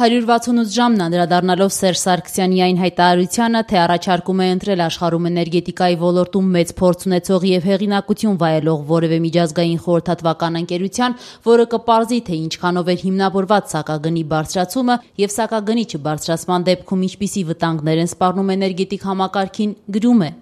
168 ժամն անդրադառնալով Սերժ Սարգսյանի այն հայտարարությանը, թե առաջարկում է ընտրել աշխարհում էներգետիկայի ոլորտում մեծ փորձ ունեցող եւ հեղինակություն վայելող որևէ միջազգային խորհրդատվական ընկերության, որը կպարզի, թե ինչքանով էր հիմնավորված սակագնի բարձրացումը եւ սակագնի չբարձրացման դեպքում ինչպիսի վտանգներ են սպառնում էներգետիկ համակարգին, գրում է.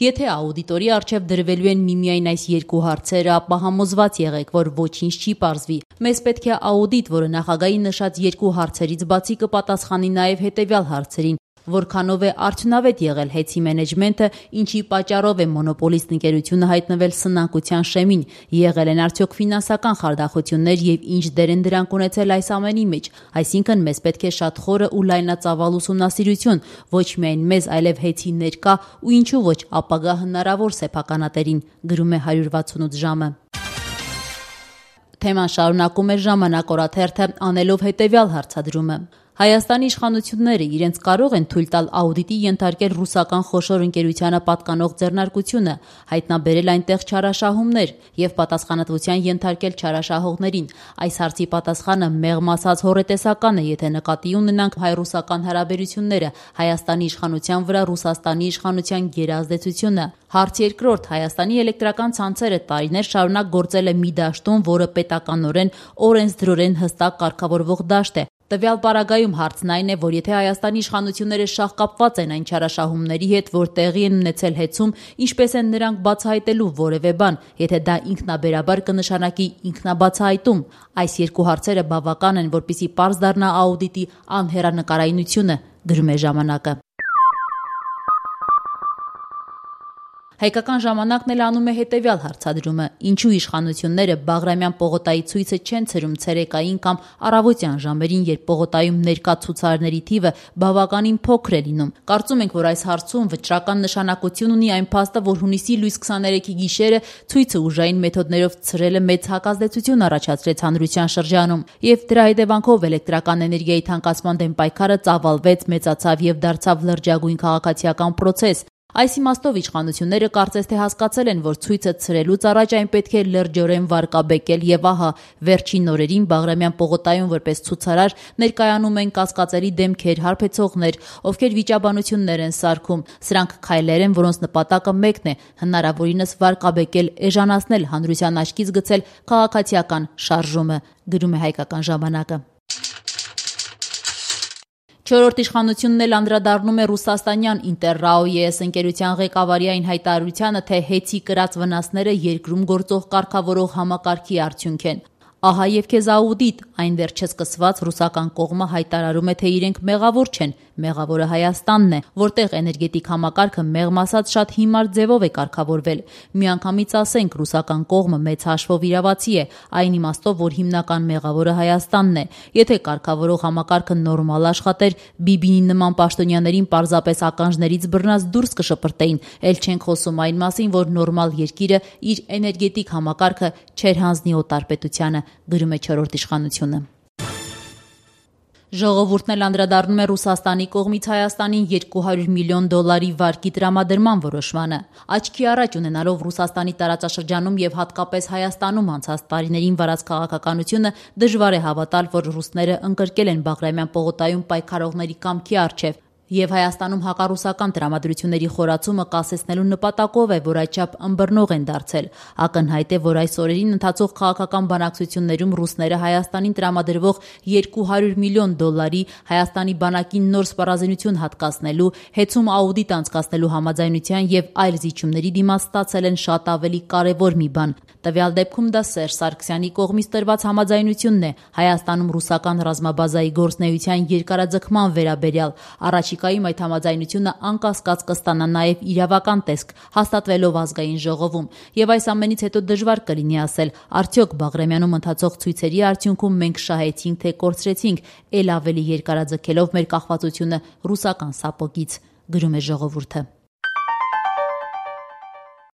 Եթե աուդիտորի առջև դրվելու են միմիայն այս երկու հարցերը, ապա համոզված եղեք, որ ոչինչ չի պարզվի։ Մեզ պետք է աուդիտ, որը նախագահի նշած երկու հարցերից բացի կպատասխանի նաև հետևյալ հարցերին. որքանով է արդյունավետ եղել ՀԵՑ-ի մենեջմենթը, ինչի պատճառով է մոնոպոլիստ ընկերությունը հայտնվել սնանկության շեմին, եղել են արդյոք ֆինանսական խարդախություններ եւ ինչ դեր են դրանք ունեցել այս ամենի մեջ։ Այսինքն մեզ պետք է շատ խորը ու լայնածավալ ուսումնասիրություն, ոչ միայն մեզ, այլև ՀԵՑ-ի ներկա ու ինչու ոչ ապագա հնարավոր սեփականատերին, գրում է 168 ժամը։ Թեման շարունակում է Ժամանակ օրաթերթը, անելով հետևյալ հարցադրումը. Հայաստանի իշխանությունները իրենց կարող են թույլ տալ աուդիտի ենթարկել ռուսական խոշոր ընկերությանը պատկանող ձեռնարկությունը, հայտնաբերել այնտեղ չարաշահումներ եւ պատասխանատվության ենթարկել չարաշահողներին։ Այս հարցի պատասխանը մեղմ ասած հոռետեսական է, եթե նկատի ունենանք հայ-ռուսական հարաբերությունները, Հայաստանի իշխանության վրա Ռուսաստանի իշխանության գերազդեցությունը։ Հարց երկրորդ. Հայաստանի էլեկտրական ցանցերը տարիներ շարունակ գործել է մի դաշտում, որը պետականորեն օրենսդրորեն հստակ կարգավորվող դաշտ է։ Տվյալ պարագայում հարցն այն է, որ եթե Հայաստանի իշխանությունները շահկապված են այն չարաշահումների հետ, որ տեղի են ունեցել ՀԵՑ-ում, ինչպես են նրանք բացահայտելու որևէ բան, եթե դա ինքնաբերաբար կնշանակի ինքնաբացահայտում։ Այս երկու հարցերը բավական են, որպեսզի պարզ դառնա աուդիտի անհեռանկարայնությունը, գրում է Ժամանակը։ Հայկական ժամանակն էլ անում է հետևյալ հարցադրումը. ինչու իշխանությունները Բաղրամյան պողոտայի ցույցը չեն ցրում ցերեկային կամ առավոտյան ժամերին, երբ պողոտայում ներկա ցուցարարների թիվը բավականին փոքր է լինում։ Կարծում ենք, որ այս հարցում վճռական նշանակություն ունի այն փաստը, որ հունիսի լույս 23-ի գիշերը ցույցը ուժային մեթոդներով ցրելը մեծ հակազդեցություն առաջացրեց հանրության շրջանում, եւ դրա հետևանքով էլեկտրական էներգիայի թանկացման դեմ պայքարը ծավալվեց, մեծացավ եւ դարձավ լրջագույն քաղաքացիական process։ Այս իմաստով իշխանությունները կարծես թե հասկացել են, որ ցույցը ցրելուց առաջ այն պետք է լրջորեն վարկաբեկել եւ ահա վերջին օրերին Բաղրամյան պողոտայում որպես ցուցարար ներկայանում են կասկածելի դեմքեր, հարբեցողներ, ովքեր վիճաբանություններ են սարքում։ Սրանք քայլեր են, որոնց նպատակը մեկն է՝ հնարավորինս վարկաբեկել, էժանացնել, հանրության աչքից գցել քաղաքացիական շարժումը, գրում է Հայկական ժամանակը։ Չորրորդ իշխանությունն էլ անդրադառնում է ռուսաստանյան Ինտերրաո-ԵՍ ընկերության ղեկավարի այն հայտարարությանը, թե ՀԵՑ-ի կրած վնասները երկրում գործող կարգավորող համակարգի արդյունք են։ Ահա եւ քեզ աուդիտ, այն դեռ չսկսված ռուսական կողմը հայտարարում է, թե իրենք մեղավոր չեն, մեղավորը Հայաստանն է, որտեղ էներգետիկ համակարգը մեղմ ասած շատ հիմար ձևով է կարգավորվել։ Միանգամից ասենք, ռուսական կողմը մեծ հաշվով իրավացի է, այն իմաստով, որ հիմնական մեղավորը Հայաստանն է։ Եթե կարգավորող համակարգը նորմալ աշխատեր, Բիբինի նման պաշտոնյաներին պարզապես ականջներից բռնած դուրս կշպրտեին, ել չենք խոսում այն մասին, որ նորմալ երկիրը իր էներգետիկ համակարգը չեր հանձնի օտարպետությանը, գրում է չորրորդ իշխանությունը։ Ժողովուրդն էլ անդրադառնում է Ռուսաստանի կողմից Հայաստանին $200 միլիոն վարկի տրամադրման որոշմանը։ Աչքի առաջ ունենալով Ռուսաստանի տարածաշրջանում եւ հատկապես Հայաստանում անցած տարիներին վարած քաղաքականությունը, դժվար է հավատալ, որ ռուսները ընկրկել են Բաղրամյան պողոտայում պայքարողների կամքի առջև։ Եվ Հայաստանում հակառուսական տրամադրությունների խորացումը կասեցնելու նպատակով է, որ այդչափ ըմբռնող են դարձել։ Ակնհայտ է, որ այս օրերին ընթացող քաղաքական բանակցություններում ռուսները Հայաստանին տրամադրվող $200 միլիոն Հայաստանի բանակին նոր սպառազինություն հատկացնելու, ՀԵՑ-ում աուդիտ անցկացնելու համաձայնության եւ այլ զիջումների դիմաց ստացել են շատ ավելի կարեւոր մի բան։ Տվյալ դեպքում դա Սերժ Սարգսյանի կողմից տրված համաձայնությունն է Հայաստանում ռուսական ռազմաբազայի գործնեության երկարաձգման վերաբերյալ։ Առաջիկայում այդ համաձայնությունը անկասկած կստանա նաև իրավական տեսք, հաստատվելով ազգային ժողովում։ Եվ այս ամենից հետո դժվար կլինի ասել, արդյոք Բաղրամյանում ընթացող ցույցերի արդյունքում մենք շահեցինք, թե կորցրեցինք, ել ավելի երկարաձգելով մեր կախվածությունը ռուսական սապոգից, գրում է Ժողովուրդը։